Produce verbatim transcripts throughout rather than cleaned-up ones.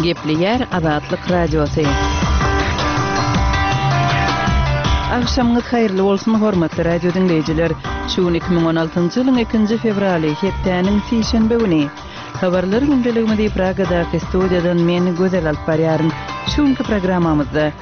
Gepleýär Azatlyk Radiosy. Agşamyňyz haýyrly bolsun, hormatly radio diňleýjiler. Şu gün iki müň on altynjy ýylyň ikinji fewraly, hepdäniň sişenbe güni. Habarlar gündeligimizi Pragadaky studiýadan men Gözel alyp barýaryn. Şu günki programmamyzda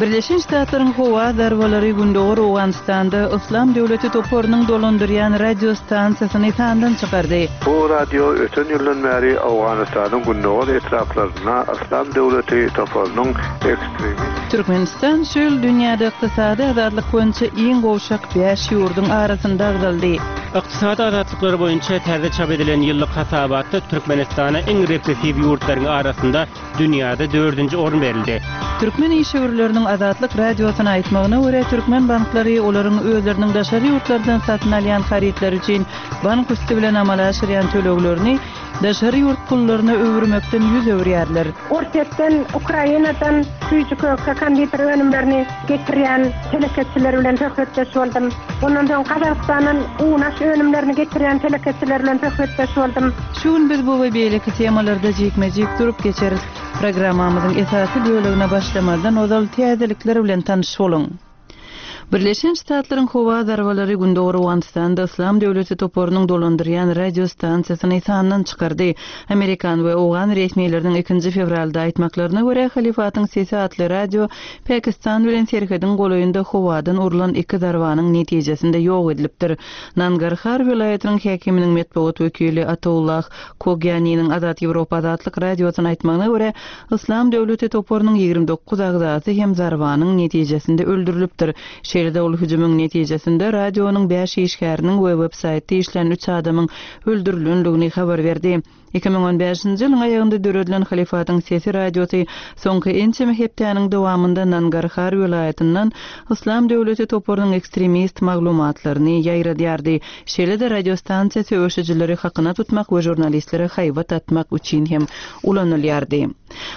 Birleşen Ştatlaryň howa zarbalary Gündogar Owganystanda Yslam döwleti toparynyň dolandyrýan radiostansiýasyny sandan çykardy. Bu radio öten ýyldan bäri Owganystanyň gündogar etraplarynda Yslam döwleti toparynyň ekstremist Türkmenistan şu ýyl dünýäde ykdysady azatlyk boýunça iň gowşak bäş ýurduň arasynda agzaldy. Ykdysady azatlyklary boýunça täze çap edilen ýyllyk hasabatda Türkmenistana iň repressiw ýurtlaryň arasynda dünýäde dördünji orun berildi. Türkmen işewürleriniň Azatlyk Radiosyna aýtmagyna görä, türkmen banklary olaryň özleriniň daşary ýurtlardan satyn alýan harytlary üçin bank üsti bilen amala aşyrýan töleglerini daşary ýurt pullaryna öwürmekden ýüz öwürýärler. Orsýetden, Ukrainadan süýji-köke, konditer önümlerini getirýän telekeçiler bilen söhbetdeş boldum. Ondan soň Gazagystandan un-aş önümlerini getirýän telekeçiler bilen söhbetdeş boldum. Şu gün biz bu we beýleki temalarda jikme-jik durup geçeris. Programmamyzyň esasy bölegine başlamazdan ozal täzelikler bilen tanyş boluň. Birleşen Ştatlaryň howa zarbalary Gündogar Owganystanda Yslam döwleti toparynyň dolandyrýan radiostansiýasyny sandan çykardy. Amerikan we owgan resmileriniň ikinji fewralda aýtmaklaryna görä, Halifatyň sesi atly radio Pakistan bilen serhediň golaýynda howadan urlan iki zarbanyň netijesinde ýok edilipdir. Nangarhar welaýatynyň häkiminiň metbugat wekili Ataullah Kogýaniniň Azat Ýewropa Azatlyk Radiosyna aýtmagyna görä, Yslam döwleti toparynyň ýigrimi dokuz agzasy hem zarbanyň netijesinde öldürilipdir. Şeýle-de ol hüjümiň netijesinde radionyň bäş işgäriniň we web-saýtda işlän üç adamyň öldürilendigini habar berdi. Iki müň on bäşinji ýylyň aýagynda döredilen Halifatyň sesi radiosy soňky ençeme hepdäniň dowamynda Nangarhar welaýatyndan Yslam döwleti toparynyň ekstremist maglumatlaryny ýaýradýardy. Şeýle-de radiostansiýa söweşijileri hakyna tutmak we žurnalistlere haýbat atmak üçin hem ulanylýardy.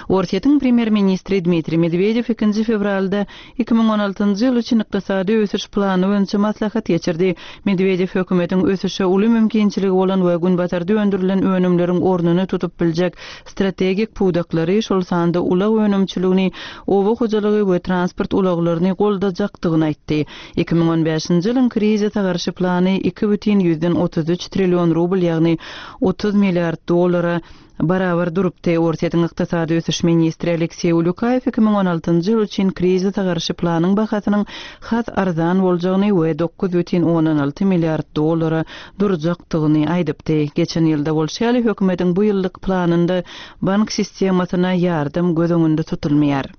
Orsýetiň premýer-ministri Dmitriý Medwedew ikinji fewralda iki müň on altynjy ýyl üçin ykdysady ösüş plany boýunça maslahat geçirdi. Medwedew hökümetiň ösüşe uly mümkinçiligi bolan we günbatarda öndürilen önümleriň ornuny tutup biljek strategik pudaklary, şol sanda ulag önümçiligini, oba hojalygy we transport ulaglaryny goldajakdygyny aýtdy. Iki müň on bäşinji ýylyň krizise garşy plany iki bütin ýüzden otuz üç trillion rubl, ýagny otuz milliard dollara barabar durupdy. Orsýetiň ykdysady ösüş ministri Alekseý Ulýukaýew iki müň on altynjy ýyl üçin krizise garşy planyň bahasynyň has arzan boljagyny we dokuz bütin ondan alty milliard dollara durjakdygyny aýdypdy. Geçen ýylda bolşy ýaly hökümetiň bu ýyllyk planynda bank sistemasyna ýardam göz öňünde tutulmaýar.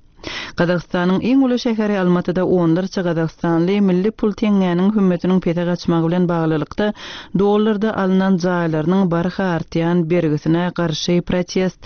Gazagystanyň iň uly şäheri Almatyda onlarça gazagystanly milli pul teňňäniň hümmetiniň pese gaçmagy bilen baglylykda dollarda alnan jaýlarynyň barha artýan bergisine garşy protest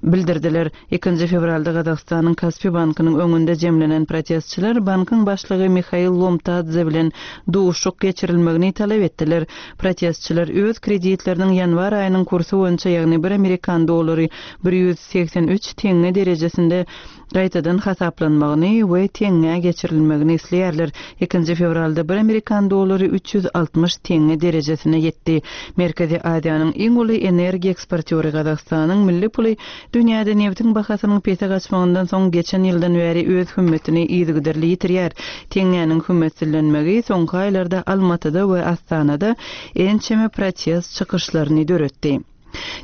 bildirdiler. Ikinji fewralda Gazagystanyň Kaspi bankynyň öňünde jemlenen protestçiler bankyň başlygy Mihail Lomtadze bilen duşuk geçirilmegini talap etdiler. Protestçiler öz kreditleriniň ýanwar aýynyň kursy boýunça, ýagny bir amerikan dollary bir ýüz segsen üç teňňe derejesinde gaýtadan hasaplanmagyny we teňňä geçirilmegini isleýärler. Ikinji fewralda bir amerikan dollary üç ýüz altmyş teňňe derejesine ýetdi. Merkezi Aziýanyň iň uly energiýa eksportýory Gazagystanyň milli puly dünýäde nebitiň bahasynyň pese gaçmagyndan soň geçen ýyldan bäri öz hümmetini yzygiderli ýitirýär. Teňňäniň hümmetsizlenmegi soňky aýlarda Almatyda we Astanada ençeme protest çykyşlaryny döretdi.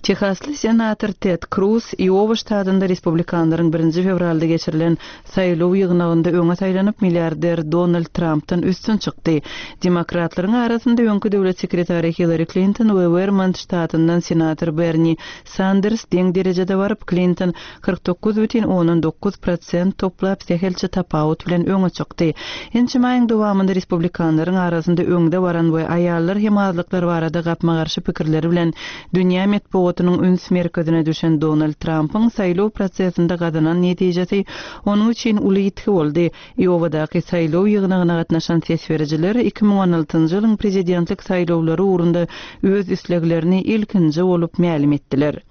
Tehasly senator Ted Cruz Iowa ştatynda respublikanlaryň birinji fewralda geçirilen saýlaw ýygnagynda öňe saýlanyp milliarder Donald Trumpdan üstün çykdy. Demokratlaryň arasynda öňki döwlet sekretary Hillary Clinton we Vermont ştatyndan senator Bernie Sanders deň derejede baryp, Clinton kyrk dokuz bütin ondan dokuz prosent toplap sähelçe tapawut bilen öňe çykdy. Ençeme aýyň dowamynda respublikanlaryň arasynda öňde baran we aýallar hem azlyklar barada gapma-garşy pikirleri bilen dünýä metbugatynyň üns merkezine düşen Donald Trumpyň saýlaw prosesinde gazanan netijesi onuň üçin uly ýitgi boldy. Iowadaky saýlaw ýygnagyna gatnaşan ses berijiler iki müň on altynjy ýylyň prezidentlik saýlawlary ugrunda öz isleglerini ilkinji bolup mälim etdiler.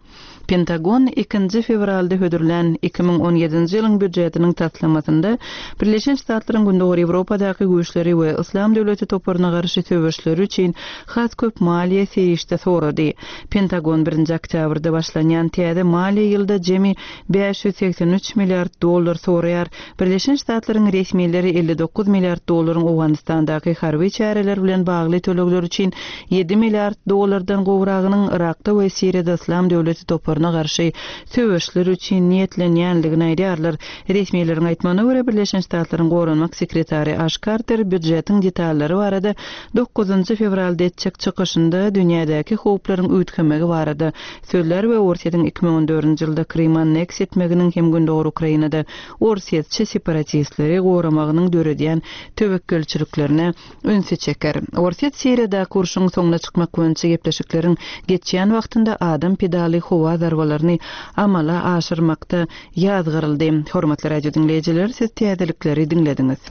Pentagon ikinji fewralda hödürlän iki müň on ýedinji ýylyň býujetiniň taslamasynda Birleşen Ştatlaryň Gündogar Ýewropadaky güýçleri we Yslam döwleti toparyna garşy söweşleri üçin has köp maliýe serişde sorady. Pentagon birinji oktýabrda başlanýan täze maliýe ýylda jemi bäş ýüz segsen üç milliard dollar soraýar. Birleşen Ştatlaryň resmileri elli dokuz milliard dollaryň Owganystandaky harby çäreler bilen bagly tölegler üçin ýedi milliard dollardan gowragynyň Irakda we Siriýada Yslam döwleti toparyna garşy söweşler üçin niýetlenýänligini aýdýarlar. Resmileriň aýtmagyna görä Birleşen Ştatlaryň goranmak sekretary Aş Karter býujetiň detallary barada dokuzynjy fewralda etjek çykyşynda dünýädäki howplaryň üýtgemegi barada sözler we Orsýetiň iki müň on dördünji ýylda Krymy anneks etmeginiň hem Gündogar Ukrainada Orsýetçi separatistleri goramagynyň döredýän töwekgelçiliklerine ünsi çeker. Orsýet Siriýadaky urşuň soňuna çykmak boýunça gepleşikleriň geçýän wagtynda adam pedaly howa zarbalaryny amala aşyrmakda ýazgyryldy. Hormatly radio diňleýjiler, siz täzelikleri diňlediňiz.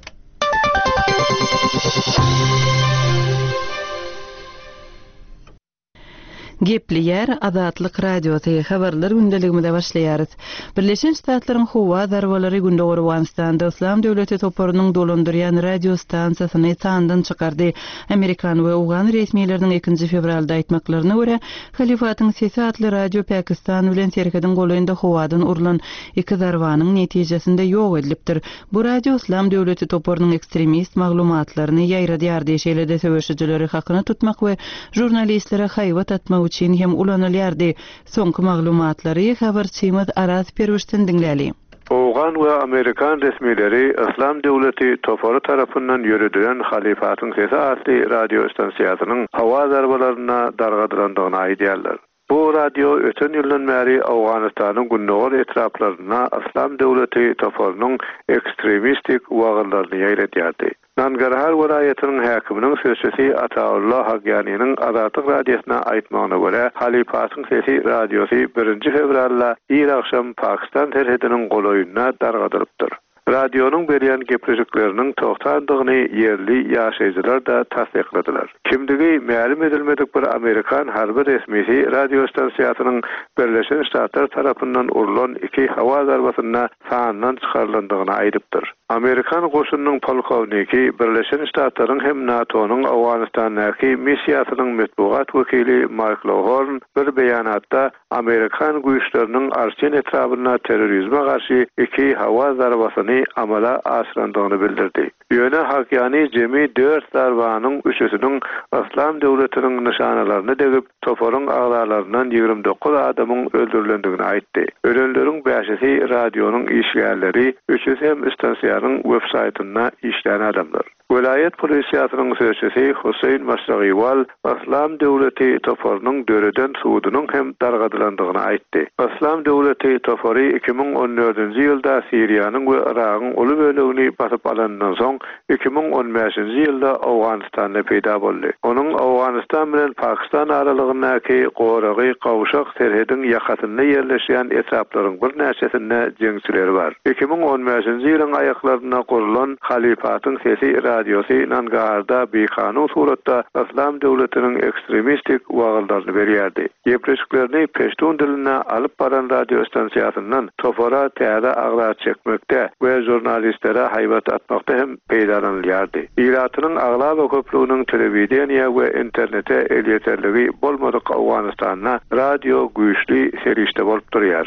Gepleýär Azatlyk Radiosy habarlar gündeligimize başlaýarys. Birleşen Ştatlaryň howa zarbalary Gündogar Owganystanda Yslam döwleti toparynyň dolandyrýan radio stansiýasyny sandan çykardy. Amerikan we Owgan resmileriniň ikinji fewralda aýtmaklaryna görä, Halifatyň sesi atly radio Pakistan bilen serhediň golaýynda howadan urlan iki zarbanyň netijesinde ýok edilipdir. Bu radio Yslam döwleti toparynyň ekstremist maglumatlaryny ýaýradýardy, şeýle-de söweşijileri hakyna tutmak we žurnalistlere haýbat atmak üçin hem ulanylýardy. Soňky maglumatlary habarçymyz Araz Perwişden diňläli. Owgan we Amerikan resmileri Yslam döwleti topary tarapyndan ýöredilen Halifatyň sesi atly radio stansiýasynyň howa zarbalaryna dargadylandygyny aýdýarlar. Bu radio öten ýyldan bäri Owganystanyň gündogar etraplarynda Yslam döwleti toparynyň ekstremistik wagyzlaryny ýaýradýardy. Nangarhar welaýatynyň häkiminiň sözçüsi Ataullah Hagyanynyň Azatlyk radiosyna aýtmagyna görä, Halifatyň sesi radiosy birinji fewralda ir akşam Pakistan serhediniň golaýynda dargadylypdyr. Radionyň berýän gepleşikleriniň togtandygyny ýerli ýaşaýjylar da tassykladylar. Kimdigi mälim edilmedik bir Amerikan harby resmisi radio stansiýasynyň Birleşen Ştatlar tarapyndan urlan iki howa zarbasynda sandan çykarylandygyny aýdypdyr. Amerikan goşunynyň polkowniki Birleşen Ştatlaryň hem NATO-nyň Owganystandaky missiýasynyň metbugat wekili Mark Lohorn bir beýanatda Amerikan güýçleriniň Arçin etrabynda terrorizme garşy iki howa zarbasyny amala aşyrandygyny bildirdi. Ýöne Hakyany jemi dört zarbanyň üçüsiniň Yslam döwletiniň nyşanalaryny degip, toparyň agzalaryndan ýigrimi dokuz adamyň öldürilendigini aýtdy. Ölenleriň bäşisi radionyň işgärleri, üçüsi hem stansiýanyň web-saýtynda işlän adamlar. Welaýat polisiýasynyň sözçüsi Hüseýin Maşragiwal Yslam döwleti toparynyň döreden sudunyň hem dargadylandygyny aýtdy. Yslam döwleti topary iki müň on dördünji ýylda Siriýanyň we Yragyň uly bölegini basyp alandan soň iki müň on bäşinji ýylda Owganystanda peýda boldy. Onuň Owganystan bilen Pakistan aralygyndaky goragy gawşak serhediň ýakasynda ýerleşýän etraplaryň birnäçesinde jeňçileri bar. Iki müň on bäşinji ýylyň aýaklarynda gurulan Halifatyň sesi radiosy Nangarda bikanun suratda Yslam döwletiniň ekstremistik wagyzlaryny berýärdi. Gepleşiklerini peştun dilinde alyp baran radio stansiýasyndan topara täze agza çekmekde we žurnalistlere haýbat atmakda hem peýdalanylýardy. Ilatynyň aglaba köplüginiň telewideniýe we internete elýeterligi bolmadyk Owganystanda radio güýçli serişde bolup durýar.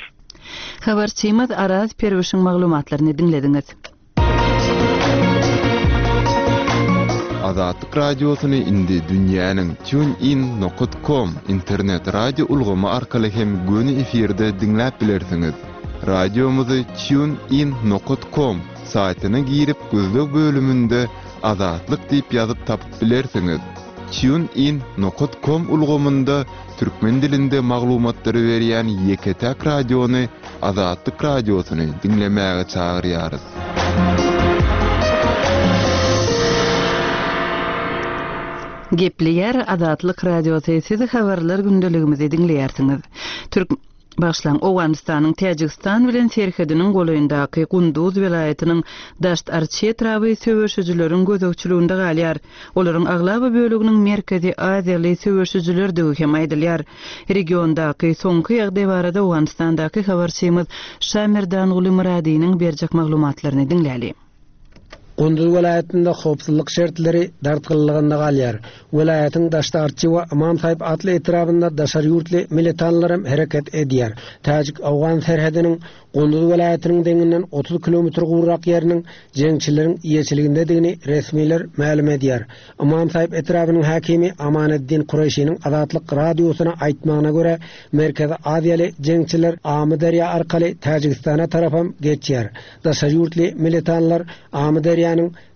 Habarçymyz Araz Perwişiň maglumatlaryny diňlediňiz. Azatlyk radiosyny indi dünýäniň TuneIn nokta com internet radio ulgamy arkaly hem göni efirde diňläp bilersiňiz. Radiomyzy TuneIn nokta com saýtyna girip gözleg bölüminde Azatlyk diýip ýazyp tapyp bilersiňiz. TuneIn nokta com ulgamynda türkmen dilinde maglumatlary berýän ýeke-täk radiony Azatlyk radiosyny diňlemäge çagyrýarys. Gepleýär Azatlyk radiosy, sizi habarlar gündeligimizi diňleýärsiňiz. Türk Bagyşlaň, Owganystanyň Täjigistan bilen serhediniň golaýyndaky Gunduz welaýatynyň Daşt Arçy etraby söweşijileriň gözegçiliginde galýar. Olaryň aglaba böleginiň Merkezi Aziýaly söweşijilerdigi hem aýdylýar. Regiondaky soňky ýagdaý barada Owganystandaky habarçymyz Şamerdanguly Myradynyň berjek maglumatlaryny diňläli. Gunduz welaýatynda howpsuzlyk şertleri dartgynlygynda galýar. Welaýatyň Daşt Arçy we Ymam Saýyp atly etrabynda daşary ýurtly militanlar hem hereket edýär. Täjik Awgan serhediniň Gunduz welaýatynyň deňinden otuz kilometr gowrak ýeriniň jeňçileriň eýeçiligindedigini resmiler mälim edýär. Ymam Saýyp etrabynyň häkimi Amaneddin Kureýşiniň Azatlyk radiosyna aýtmagyna görä, Merkezi Aziýaly jeňçiler Amyderýa arkaly Täjigistana tarapam geçýär. Daşary ýurtly militanlar Amyderýanyň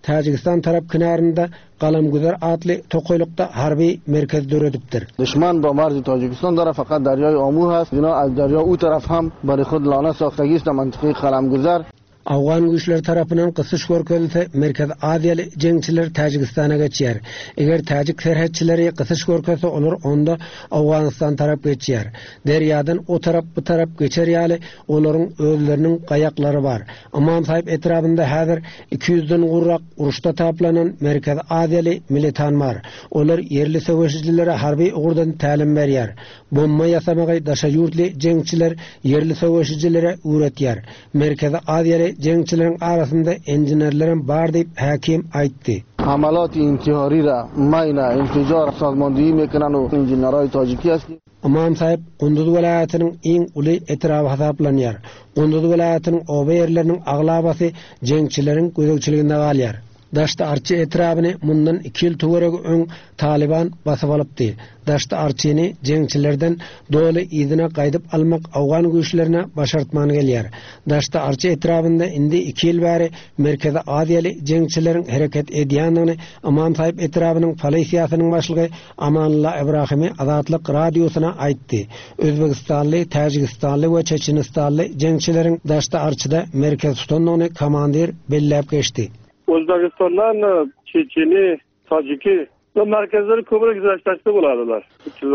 Täjigistan tarap kenarynda Galamgüzer atly tokaýlykda harby merkez döredipdir. Düşman با مرز Tacikistan داره fakat دریای آمو هست. اینا از دریا او taraf ham برای خود لانه ساختگی است منطقه Galamgüzer. Awgan güýçleri tarapyndan gysyş görkezilse, Merkezi Aziýaly jeňçiler Täjigistana geçýär. Eger Täjik serhetçileri gysyş görkezse, olar onda Awganistan tarap geçýär. Derýadan o tarap bu tarap geçer ýaly olaryň özleriniň gaýaklary bar. Ymam Saýyp etrabynda häzir iki ýüzden gowrak uruşda taplanan Merkezi Aziýaly militan bar. Olar ýerli söweşijilere harby ugurdan tälim berýär. Bomba ýasamagy daşary ýurtly jeňçiler ýerli söweşijilere öwretýär. Merkezi Aziýaly jeňçileriň arasynda inženerlerim bar diýip häkim aýtdy. حملات انتحاری را ماین انفجار سازماندهی میکنن و انجینرهای تاجیکی است. Ymam Saýyp Gunduz welaýatynyň iň uly etraby hasaplanýar. Gunduz welaýatynyň oba ýerleriniň aglabasy jeňçileriň gözegçiliginde galýar. Daşt Arçy etrabyny mundan iki ýyl töweregi öň Taliban basyp alypdy. Daşt Arçyny jeňçilerden doly yzyna gaýdyp almak Awgan güýçlerine başartman gelýär. Daşt Arçy etrabynda indi iki ýyl bäri Merkezi Aziýaly jeňçileriň hereket edýändigini Ymam Saýyp etrabynyň polisiýasynyň başlygy Amanullah Ibrahimi Azatlyk radiosyna aýtdy. Özbegistanly, Täjigistanly we Çeçenistanly jeňçileriň Daşt Arçyda merkez tutandygyny komandir belläp geçdi. O'zbekistondan Çeçeni, Taciki ve merkezleri köprek güzelleşti buladılar. Üç yüz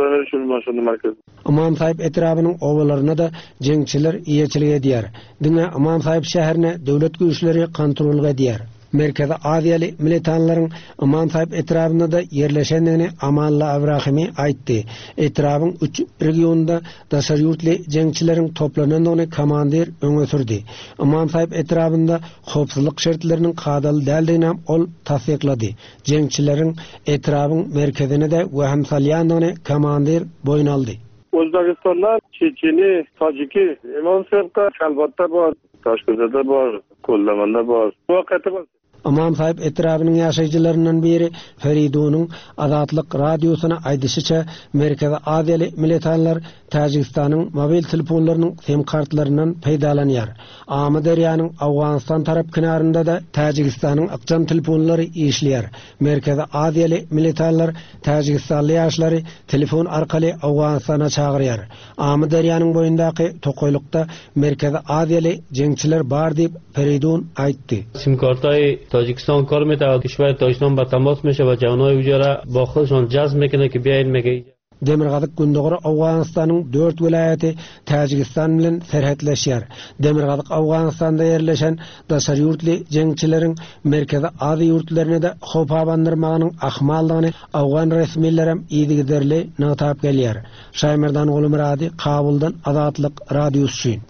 şunu merkez. Ymam Saýyp etrabynyň obalaryna da jeňçiler eýeçilik edýär. Diňe Ymam Saýyp şäherine döwlet güýçleri kontrol edýär. Merkezi Aziýaly militanlaryň Ymam Saýyp etrabynda da ýerleşendigini Amanullah Ibrahimi aýtdy. Etrabyň üç regionunda daşary ýurtly jeňçileriň toplanandygyny komandir öňe sürdi. Ymam Saýyp etrabynda howpsuzlyk şertleriniň kadaly däldigini ol tassyklady. Jeňçileriň etrabyň merkezine de wehim salýandygyny komandir boýun aldy. O'zbekistondan Çeçeni, Taciki, Ymam Saýypda Kalbatda bar, Taşkentde bar, Kollamanda bar. Wakaty bar. Ymam Saýyp etrabynyň ýaşaýjylaryndan biri Feridunyň Azatlyk radiosyna aýdyşyça Merkezi Aziýaly militanlar Täjigistanyň mobil telefonlarynyň sim kartlaryndan peýdalanýar. Amyderýanyň Awganistan tarap kenarynda da Täjigistanyň ykjam telefonlary işleýär. Merkezi Aziýaly militanlar Täjigistanly ýaşlary telefon arkaly Awganistana çagyrýar. Amyderýanyň boýundaky tokaýlykda Merkezi Aziýaly jeňçiler bar diýip Feridun aýtdy. Sim kartay Tacikistan kar mete kişwer Tacikistan ba temas meşe ve cevnay ucara ba xudşon cazm mekene ki biayin meke. Demirgazyk Gündogar Awganistanyň dört welaýaty Täjigistan bilen serhetleşýär. Demirgazyk Awganistanda ýerleşen daşary ýurtly jeňçileriň Merkezi Aziýa ýurtlaryna da howp abandyrmagynyň ahmaldygyny Awgan resmileri yzygiderli nygtap gelýär. Şaýmerdan Gulmyrady, Kabuldan Azatlyk radiosy üçin.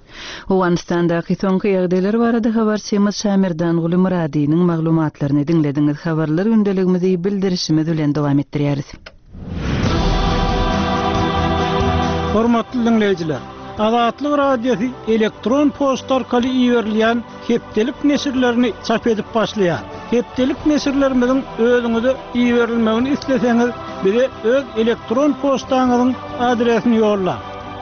Owganystandaky soňky ýagdaýlar barada habarçymyz Şamerdan Gulmyradynyň maglumatlaryny diňlediňiz. Habarlar gündeligimizi bildirişimiz bilen dowam etdirýäris. Hormatly dinleýjiler, Azatlyk radiosy elektron poçta arkaly iberilýän hepdelik neşirlerini çap edip başlaýar. Hepdelik neşirlerimiziň özüňize iberilmegini isleseňiz, bize öz elektron poçtaňyzyň adresini ýollaň.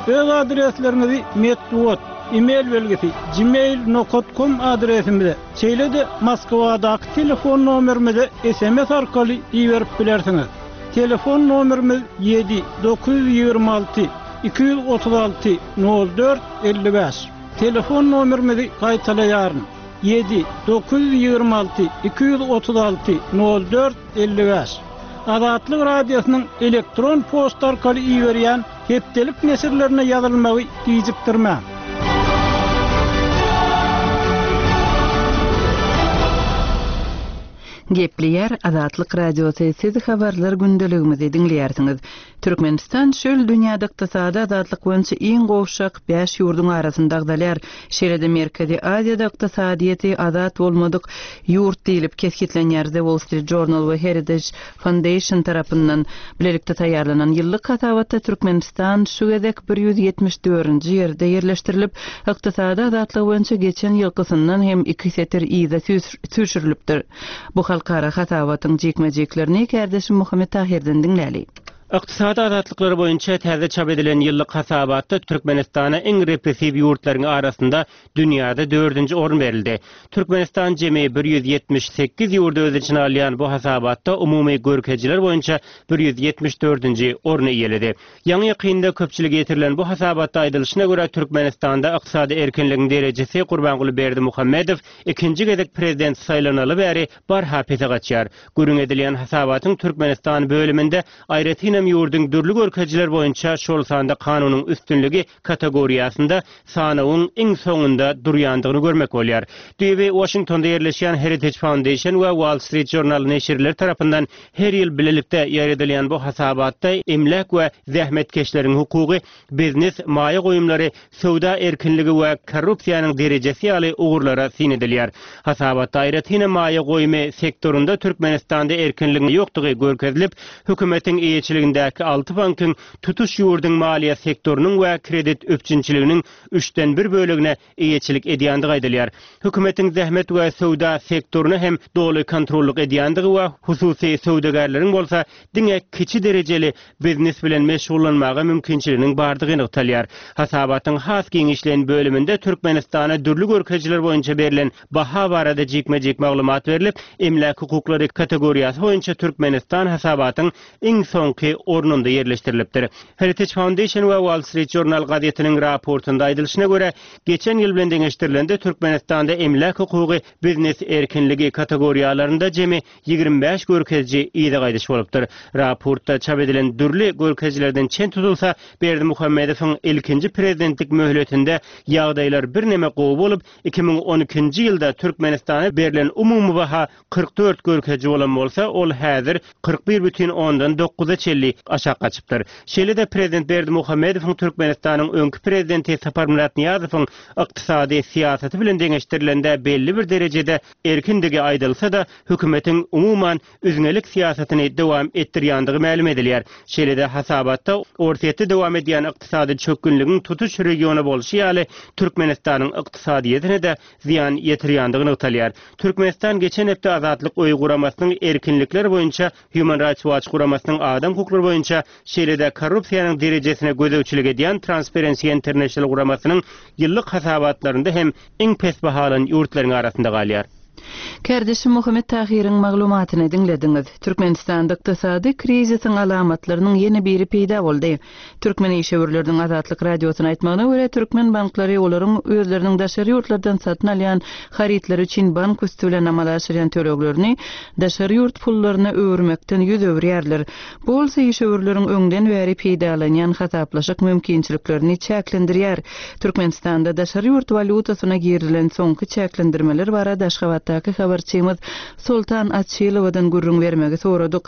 Öz adresleriňizi metbugat, e-mail belgisi gmail nokta com adresimize, şeýle-de Moskwadaky telefon nomerimize S M S arkaly iberip bilersiňiz. Telefon nomerimiz ýedi dokuz ýüz ýigrimi alty iki ýüz otuz alty nol dört elli bäş. Telefon nomerimizi gaýtalaýaryn. Ýedi dokuz ýüz ýigrimi alty iki ýüz otuz alty nol dört elli bäş. Azatlyk radiosynyň elektron poçta arkaly iberýän Hepdelik neşirlerine ýazylmagy gijikdirmäň. Gepleýär Azatlyk Radiosy siz habarlar gündeligimizi diňleýärsiňiz. Türkmenistan şöl dünýäde ykdysady azatlyk boýunça iň gowşak bäş ýurduň arasynda agzalýar. Şeýle-de Merkezi Aziýada ykdysadyýeti azat bolmadyk ýurt diýlip kesgitlenýär. The Wall Street Journal we Heritage Foundation tarapyndan bilelikde taýýarlanan ýyllyk hasabatda Türkmenistan şu gezek bir ýüz ýetmiş dördünji ýerde ýerleşdirilip, ykdysady azatlyk boýunça geçen ýylkysyndan hem iki setir yza süýşürilipdir. Bu halkara hasabatyň jikme-jiklerini kärdeşim Muhammet Tahirden diňläli. Ykdysady azatlyklary boýunça täze çap edilen ýyllyk hasabatda Türkmenistana iň repressiw ýurtlaryň arasynda dünýäde dördünji orun berildi. Türkmenistan jemi bir ýüz ýetmiş sekiz ýurdy öz içine alýan bu hasabatda umumy görkezijiler boýunça bir ýüz ýetmiş dördünji orny eýeledi. Ýaňy ýakynda köpçülige ýetirilen bu hasabatda aýdylyşyna görä Türkmenistanda ykdysady erkinligiň derejesi Gurbanguly Berdimuhamedow ikinji gezek prezident saýlanaly bäri barha pese gaçýar. Gürrüň edilýän hasabatyň Türkmenistan bölüminde aýratynam ýurduň dürli görkezijiler boýunça şol sanda kanunyň üstünligi kategoriýasynda sanawyň iň soňunda durýandygyny görmek bolýar. Düýbi Washingtonda ýerleşýän Heritage Foundation we Wall Street Journal neşirleri tarapyndan her ýyl bilelikde ýaýradylýan bu hasabatda emläk we zähmetkeşleriň hukugy, biznes, maýa goýumlary, söwda erkinligi we korrupsiýanyň derejesi ýaly ugurlara syn edilýär. Hasabatda aýratyn maýa goýumy sektorunda Türkmenistanda erkinligiň ýokdugy görkezilip, hökümetiň eýeçiligindäki alty bankyň tutuş ýurduň maliýe sektorynyň we kredit üpjünçiliginiň üçden bir bölegine eýeçilik edýändigi aýdylýar. Hökümetiň zähmet we söwda sektoryna hem doly kontrollyk edýändigi we hususy söwdagärleriň bolsa diňe kiçi derejeli biznes bilen meşgullanmaga mümkinçiliginiň bardygy nygtalýar. Hasabatyň has giňişleýin bölüminde Türkmenistana dürli görkezijiler boýunça berlen baha barada jikme-jik maglumat berlip, emläk hukuklary kategoriýasy boýunça Türkmenistan hasabatyň iň soňky ornunda ýerleşdirilipdir. Heritage Foundation we Wall Street Journal gazetiniň raportunda aýdylyşyna görä, geçen ýyl bilen deňeşdirilende Türkmenistanda emläk hukugy biznes erkinligi kategoriýalarynda jemi ýigrimi bäş görkeziji yza gaýdyş bolupdyr. Raportda çap edilen dürli görkezijilerden çen tutulsa, Berdimuhamedowyň ilkinji prezidentlik möhletinde ýagdaýlar birneme gowy bolup, iki müň on ikinji ýylda Türkmenistana berlen umumy baha kyrk dört görkeziji bolan bolsa, ol häzir kyrk bir bütin ondan dokuza çenli aşak gaçypdyr. Şeýle-de prezident Berdimuhamedowyň Türkmenistanyň öňki prezidenti Saparmyrat Nyýazowyň ykdysady syýasaty bilen deňeşdirilende belli bir derejede erkindigi aýdylsa-da, hökümetiň umuman üzňelik syýasatyny dowam etdirýändigi mälim edilýär. Şeýle-de hasabatda Orsýetde dowam edýän ykdysady çökgünligiň tutuş regiona bolşy ýaly Türkmenistanyň ykdysadyýetine-de zyýan ýetirýändigi nygtalýar. Türkmenistan geçen hepde Azatlyk Öýi guramasynyň erkinlikler boýunça Human Rights Watch guramasynyň adam hukuklary boýunça şeýle-de korrupsiýanyň derejesine gözegçilik edýän Transparency International guramasynyň ýyllyk hasabatlarynda hem iň pes bahalan ýurtlaryň arasynda galýar. Kärdeşim Muhammet Tahiriň maglumatyny diňlediňiz. Türkmenistanda ykdysady krizisiň alamatlarynyň ýene biri peýda boldy. Türkmen işewürleriniň Azatlyk Radiosyna aýtmagyna görä, türkmen banklary olaryň özleriniň daşary ýurtlardan satyn alýan harytlary üçin bank üsti bilen amala aşyrýan töleglerini daşary ýurt pullaryna öwürmekden ýüz öwürýärler. Bu bolsa işewürleriň öňden bäri peýdalanýan hasaplaşyk mümkinçiliklerini çäklendirýär. Türkmenistanda daşary ýurt walýutasyna girilen soňky çäklendirmeler barada Aşgabatdaky habarçymyz Soltan Açylowadan gürrüň bermegi soradyk.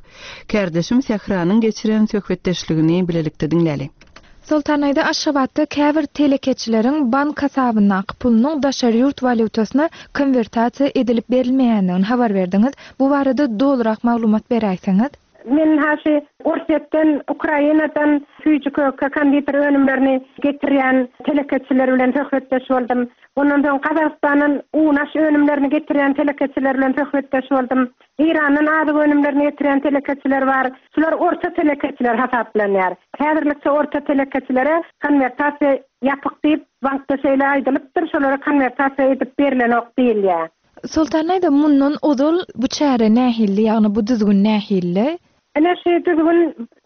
Kärdeşim Sähranyň geçiren söhbetdeşligini bilelikde diňläli. Soltan aýda Aşgabatda käbir telekeçileriň bank hasabyndaky pulunyň daşary ýurt walýutasyna konwertasiýa edilip berilmeýändigini habar berdiňiz. Bu barada dolurak maglumat beräýseňiz. Men haşy Orsýetden, Ukrainadan süýji köke konditer önümlerini getirýän telekeçiler bilen söhbetdeş boldum. Ondan soň Gazagystandan un-aş önümlerini getirýän telekeçiler bilen söhbetdeş boldum. Irandan azyk önümlerini getirýän telekeçiler bar. Şular orta telekeçiler hasaplanýar. Häzirlikçe orta telekeçilere konwertasiýa ýapyk diýip bankda şeýle aýdylypdyr, şolara konwertasiýa edip berilenok diýilýär. Soltan aýda mundan ozal bu çäre nähilli, ýagny bu düzgün nähilli? Ene şu düzgün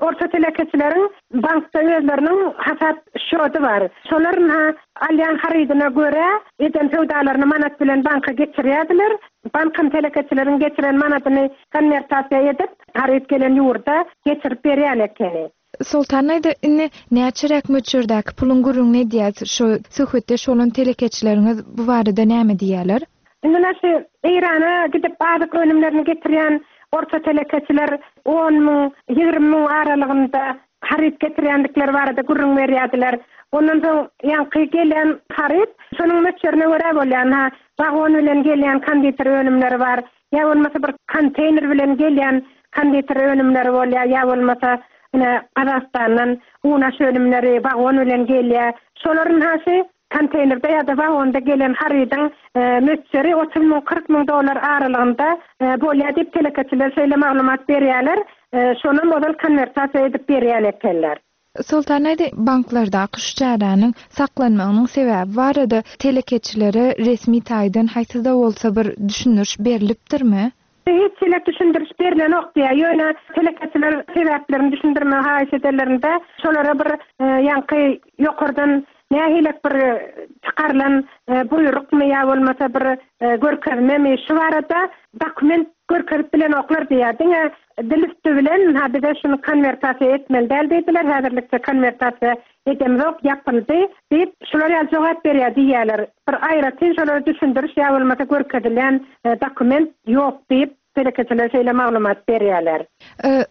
orta telekeçileriň bankda özleriniň hasap şody bar. Şolaryň ha alýan harydyna görä eden söwdalaryny manat bilen banka geçirýärdiler. Bankyň telekeçileriň geçiren manadyny konwertasiýa edip, haryt gelen ýurda geçirip berýän ekeni. Soltan aýda, indi näçeräk möçberdäki puluň gürrüňini edýäs? Şu söhbetdeş bolan telekeçileriňiz bu barada näme diýýärler? Indi şu Eýrana gidip azyk önümlerini getirýän orta telekeçiler on müň, ýigrimi müň aralygynda haryt getirýändikleri barada gürrüň berýärdiler. Ondan soň ýaňky gelen haryt şonuň möçberine görä bolýan, ha, wagon bilen gelýän konditer önümleri bar, ýa bolmasa bir konteýner bilen gelýän konditer önümleri bolýar, ýa bolmasa ine Gazagystandan unaş önümleri wagon bilen gelýär. Şolaryň haşy konteýnerde ýa-da wagonda gelen harydyň möçberi otuz müň, kyrk müň dollar aralygynda bolýar diýip telekeçiler şeýle maglumat berýärler. Şonam ozal konwertasiýa edip berýän ekenler. Soltan aýda, banklardaky şu çäräniň saklanmagynyň sebäbi barada telekeçilere resmi taýdan haýsy-da bolsa bir düşündiriş berilipdirmi? Hiç hili düşündiriş berilenok diýär. Ýöne telekeçiler sebäplerini düşündirmegi haýyş edenlerinde şolara bir, ýaňky ýokardan nähilek bir çykarylan buýrukmy ýa bolmasa bir görkezmemi şu barada dokument görkezip bilenoklar diýär. Diňe dil üstü bilen, ha, bize şunu konwertasiýa etmeli däl diýdiler. Häzirlikçe konwertasiýa edemzok, ýapyldy diýip şular ýaly jogap berýär diýýärler. Bir aýratyn şolara düşündiriş ýa bolmasa görkezilen dokument ýok diýip telekeçiler şeýle maglumat berýärler.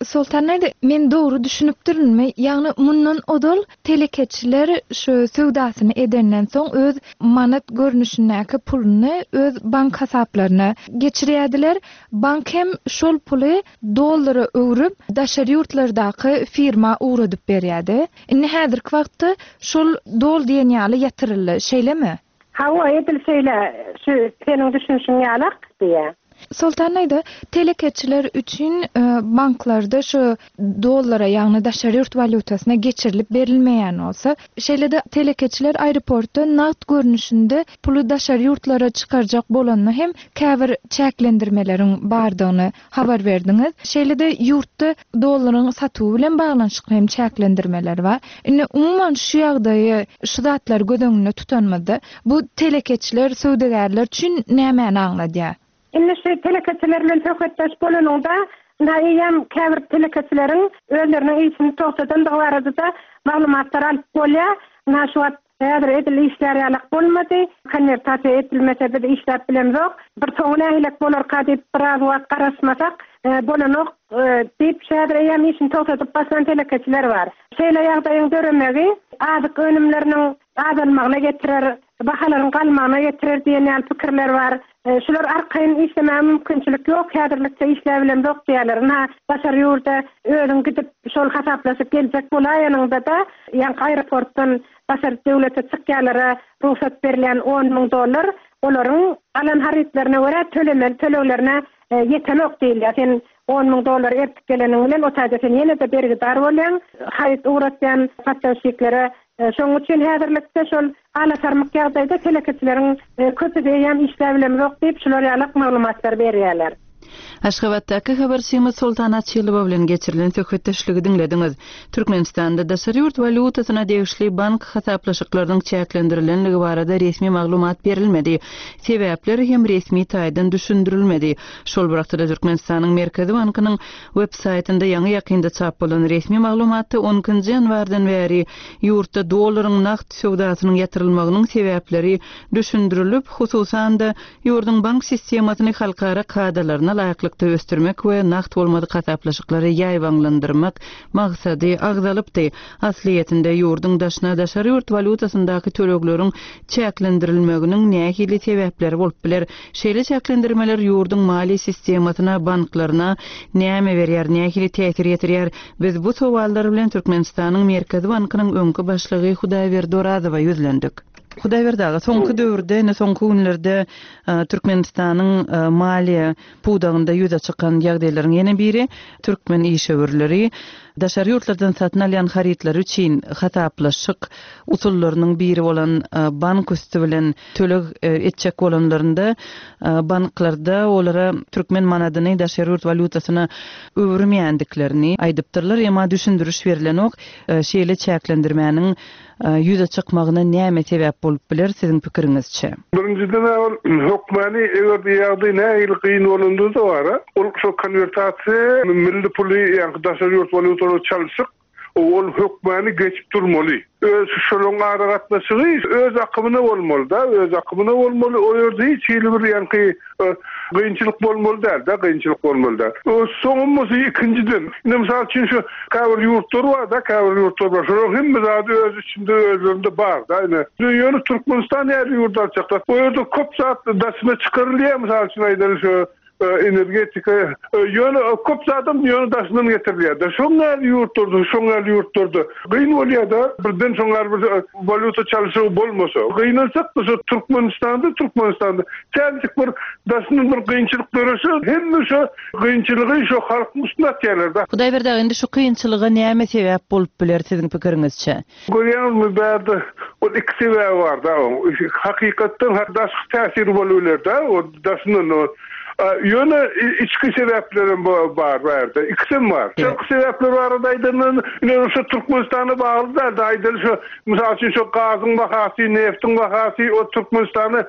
Soltan aýda, men dogry düşünipdirinmi? Ýagny mundan ozal telekeçiler şu söwdasyny edenden soň öz manat görnüşindäki puluny öz bank hasaplaryna geçirýärdiler. Bank hem şol puly dollara öwrüp daşary ýurtlardaky firma ugradyp berýärdi. Indi häzirki wagtda şol dol diýen ýaly ýatyryldy, şeýlemi? Hawa, edil şeýle, şu seniň düşünişiň ýalak diýä. Soltan aýda, telekeçiler üçin banklarda şu dollara, ýagny daşary ýurt walýutasyna geçirilip berilmeýän bolsa, şeýle-de telekeçiler aeroportda nagt görnüşinde puly daşary ýurtlara çykarjak bolanda hem käbir çäklendirmeleriň bardygyny habar berdiňiz. Şeýle-de ýurtda dollaryň satuwy bilen baglanyşykly hem çäklendirmeler bar. Indi umuman şu ýagdaýy, şu zatlary göz öňünde tutanymyzda bu telekeçiler, söwdagärler üçin nämäni aňladýar? Indi şu telekeçiler bilen söhbetdeş bolanynda, na eýem käbir telekeçileriň özleriniň işini togtadandygy barada maglumatlar alyp bolýar. Na şu wagt häzir edil işler ýalak bolmady. Konwertasiýa edilmese biz işläp bilemzok. Bir soňy nähilek bolarka diýip biraz wagt garaşmasak, bolanok diýip häzir eýem işini togtadyp başlan telekeçiler bar. Şeýle ýagdaýyň döremegi azyk önümleriniň azalmagyna getirer, bahalaryň galmagyna getirer diýen ýaly pikirler bar. Şular arkaýyn işlemäge mümkinçilik ýok, häzirlikçe işläp bilemzok diýerler. Na daşary ýurda özüň gidip şol hasaplaşyp geljek bolaýanyňda da, ýaňky aeroportdan daşary döwlete çykýanlara rugsat berilýän on müň dollar olaryň alan harytlaryna görä tölemeli töleglerine ýetenok diýilýär. Sen on müň dollar ertip geleniň bilen o taýda sen ýene-de bergidar bolýaň, haryt ugratýan paçaşiklere. Şonuň üçin häzirlikde şol alasarmyk ýagdaýda telekeçileriň köpüsi eýýäm işläp bilemzok diýip şular ýalak maglumatlar berýärler. Aşgabatdaky habarçymyz Soltan Açylowa bilen geçirilen söhbetdeşligi diňlediňiz. Türkmenistanda daşary ýurt walýutasyna degişli bank hasaplaşyklarynyň çäklendirilenligi barada resmi maglumat berilmedi. Sebäpler hem resmi taýdan düşündirilmedi. Şol bir wagtda Türkmenistanyň Merkezi bankynyň web saýtynda ýaňy ýakynda çap bolan resmi maglumatda on ikinji ýanwardan bäri ýurtda dollaryň nagt söwdasynyň ýatyrylmagynyň sebäpleri düşündirilip, hususan-da ýurduň bank sistemasyny halkara kadalaryna laýyklykda ösdürmek we nagt bolmadyk hasaplaşyklary ýaýbaňlandyrmak maksady agzalypdy. Aslyýetinde ýurduň daşyna daşary ýurt walýutasyndaky tölegleriň çäklendirilmeginiň nähili sebäpleri bolup biler? Şeýle çäklendirmeler ýurduň maliýe sistemasyna, banklaryna näme berýär, nähili täsir ýetirýär? Biz bu sowallar bilen Türkmenistanyň Merkezi bankynyň öňki başlygy Hudaýberdi Orazowa ýüzlendik. Hudaýberdi aga, soňky döwürde, ine soňky günlerde Türkmenistanyň maliýe pudagynda ýüze çykan ýagdaýlaryň ýene biri türkmen işewürleri daşary ýurtlardan satyn alýan harytlary üçin hasaplaşyk usullarynyň biri bolan bank üstü bilen töleg etjek bolanlarynda banklarda olara türkmen manadyny daşary ýurt walýutasyna öwürmeýändiklerini aýdypdyrlar. Emma düşündiriş berilenok. Şeýle çäklendirmäniň ýüze çykmagyna näme sebäp bolup biler siziň pikiriňizçe? Birinjiden ol hökmany eger ýagdaý nähili kyn bolanda da bar, ol şo konwertasiýa milli puly, ýagny daşary ýurt walýutasyna çalşyk, Ol hökmany geçip durmaly. Öz şolaryň aragatnaşygy öz akymyna bolmaly da, öz akymyna bolmaly. O ýerde hiç hili bir ýaňky kynçylyk bolmaly däl da, kynçylyk bolmaly däl. Soňumyzy ikinjiden, ine mysal üçin şu käbir ýurtlar bar da, käbir ýurtlar bar. Şolaryň hemme zady öz içinde özlerinde bar da. Ine ýöne Türkmenistan ýaly ýurt alçaklar. O ýerde köp zat daşyna çykarylýar, mysal üçin aýdaly şu energetika ýöne köp zadam ýöne daşyndan getirilýär. Şoň ýaly ýurtlarda, şoň ýaly ýurtlarda gyn bolýar da, birden şoň ýaly bir walýuta çalşygy bolmasa. Gynansak da şu Türkmenistanda, Türkmenistanda täjik bir daşyndan bir kynçylyk dörese, hemme şu kynçylygy şu halkyň üstüne atýarlar da. Hudaýberdi aga, indi şu kynçylyga näme sebäp bolup biler siziň pikiriňizçe? Görýäňizmi, bärde ol iki sebäbi bar da. Hakykatdan daşky täsiri bolup biler da, o daşyndan o ýöne içki sebäplerim bar bärde. Ikisem bar. Içki sebäpler barada aýdandan, ine şu Türkmenistana bagly däl, aýdaly şu mysal üçin şu gazyň bahasy, neftiň bahasy o Türkmenistana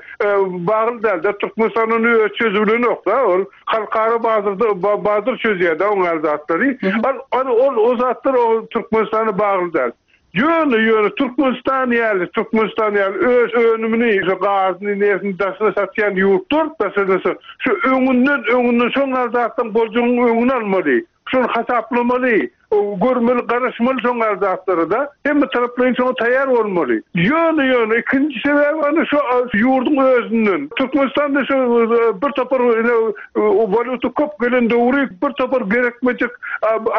bagly däl. Türkmenistanyň öz çözülen ýok da, ol halkara bazarda bazar çözýär da oň zatlary. Ol ol o zatlar o Türkmenistana bagly däl. Ýöne ýöne Türkmenistan ýaly, Türkmenistan ýaly öz önümini, şu gazyny, neftini daşyna satýan ýurtlar daşyna şu öňünden öňünden şoň zatdan boljagyň öňüni almaly. Şonu hasaplamaly, görmeli, garaşmaly şoň zatlary da. Hemme taraplaryň şoňa taýýar bolmaly. Ýöne ýöne ikinji sebäbi ana şu ýurduň özünden. Türkmenistanda şu bir topar walýuta köp gelen döwri bir topar gerekmejek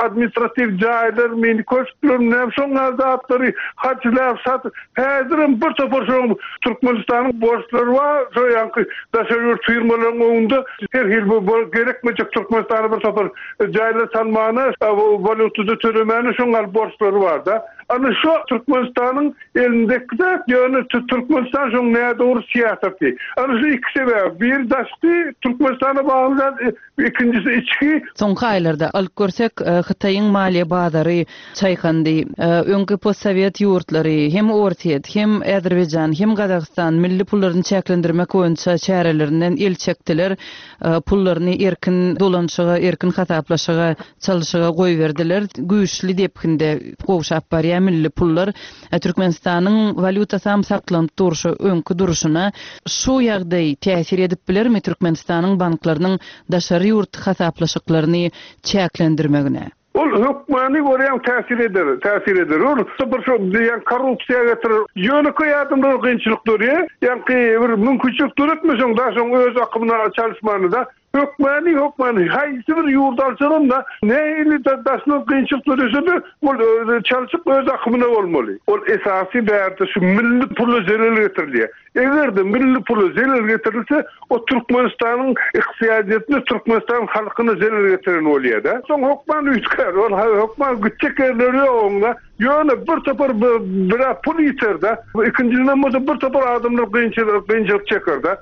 administratiw jaýlar, mini köşkler, näme şoň zatlary harçlap sat. Häzirem bir topar şoň Türkmenistanyň borçlary bar, şo ýaňky daşary ýurt firmalaryň öňünde her hil bu gerekmejek Türkmenistana bir topar jaýlar salmana, walýutada tölemäne şoň borçlary bar da. Ana şu Türkmenistanyň elindeki zat, ýöne Türkmenistan şoň nädogry syýasaty. Ana şu iki sebäp, bir daşky Türkmenistana bagly zat, ikincisi içki. Soňky aýlarda alyp görsek, Hytaýyň maliýe bazary çaýkandy. Öňki postsovet ýurtlary, hem Orsýet, hem Azerbaýjan, hem Gazagystan milli pullaryny çäklendirmek boýunça çärelerinden el çekdiler. Pullaryny erkin dolanşyga, erkin hasaplaşyga, çalyşyga goýberdiler. Güýçli depginde gowşap barýar milli pullar. Türkmenistanyň walýutasy hem saklanyp durşy, öňki durşuna şu ýagdaý täsir edip bilermi Türkmenistanyň banklarynyň daşary ýurt hasaplaşyklaryny çäklendirmegine? Ol hökmany görýän täsir eder, täsir eder. Ol bir şu diýen korrupsiýa getirir. Ýönekeý adamlar kynçylyk dörýär. Ýaňky bir mümkinçilik döretmeseň da şoň öz akymyna çalyşmany da hökmany, hökmany haýsy bir ýurt alsaň da nähili daşyna kynçylyk dörese de ol çalyşyp öz akymyna bolmaly. Ol esasy bärde şu milli pula zelel getirilýär. Eger de milli pula zelel getirilse, o Türkmenistanyň ykdysadyýetine, Türkmenistan halkyna zelel getiren bolýar da. Soň hökman üýtgär, ol hökman gitjek ýerleri ýok oňa. Ýöne bir topar bir pul ýiter da, ikinjiden bolsa bir topar adamlar kynçylyk, kynçylyk çeker da.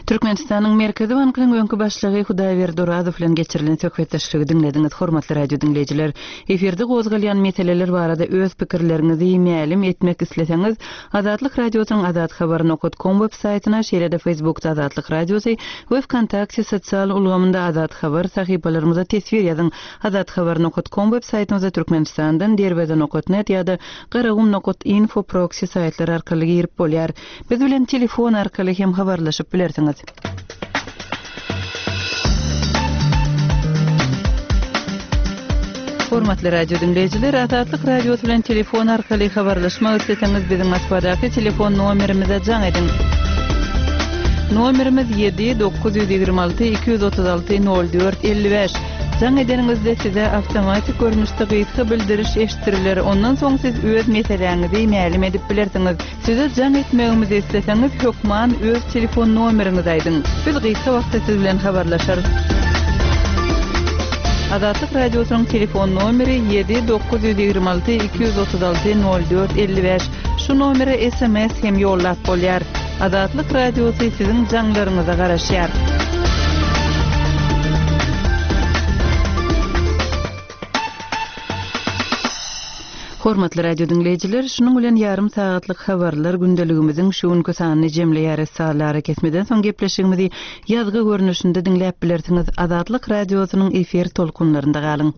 Türkmenistanyň Merkezi Bankynyň öňki başlygy Hudaýberdi Orazow bilen geçirilen söhbetdeşligi diňlediňiz, hormatly radio diňleýjiler. Efirde gozgalýan meseleler barada öz pikirleriňizi mälim etmek isleseňiz, Azatlyk Radiosynyň azathabar nokta com web saýtyna, şeýle-de Facebookda Azatlyk Radiosy we Vkontakte sosial ulgamynda Azat Habar sahypalarymyza teswir ýazyň. Azathabar nokta com web saýtymyza Türkmenistandan derweze nokta net ýa-da garagum nokta info proxy saýtlary arkaly girip bolýar. Biz bilen telefon arkaly hem habarlaşyp bilersiňiz. Hormatly radio diňleýjiler, Azatlyk Radiosy bilen telefon arkaly habarlaşmak isleseňiz biziň Moskwadaky telefon nomerimize jaň ediň. Nomerimiz ýedi dokuz ýüz ýigrimi alty iki ýüz otuz alty nol dört elli bäş. Jaň edeniňizde size awtomatik görnüşde gysga bildiriş eşitdiriler. Ondan soň siz öz meseläňizi mälim edip bilersiňiz. Size jaň etmegimizi isleseňiz hökman öz telefon nomeriňizi aýdyň. Biz gysga wagtda siz bilen habarlaşarys. Azatlyk Radiosynyň telefon nomeri ýedi dokuz ýüz ýigrimi alty iki ýüz otuz alty nol dört elli bäş. Şu nomere S M S hem ýollap bolýar. Azatlyk Radiosy siziň jaňlaryňyza garaşýar. Hormatly radio diňleýjiler, şunuň bilen ýarym sagatlyk habarlar gündeligimiziň şu günki sanyny jemleýär. Sazlara kesmeden soň gepleşigimizi ýazgy görnüşinde diňläp bilersiňiz. Azatlyk Radiosynyň efir tolkunlarynda galyň.